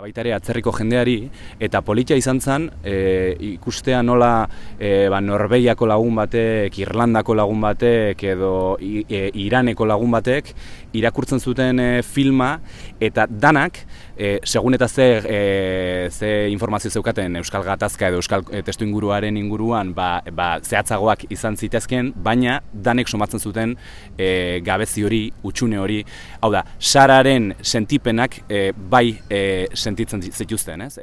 baita ere atzerriko jendeari, eta politia izan zen ikustea nola Norvegiako lagun batek, Irlandako lagun batek edo Iraneko lagun batek irakurtzen zuten filma, eta danak, segun eta ze informazio zeukaten Euskal Gatazka edo Euskal testu inguruaren inguruan zehatzagoak izan zitezken, baina danek somatzen zuten gabezi hori, hutsune hori, hau da, Sararen sentipenak bai sentitzen zituzten, ez?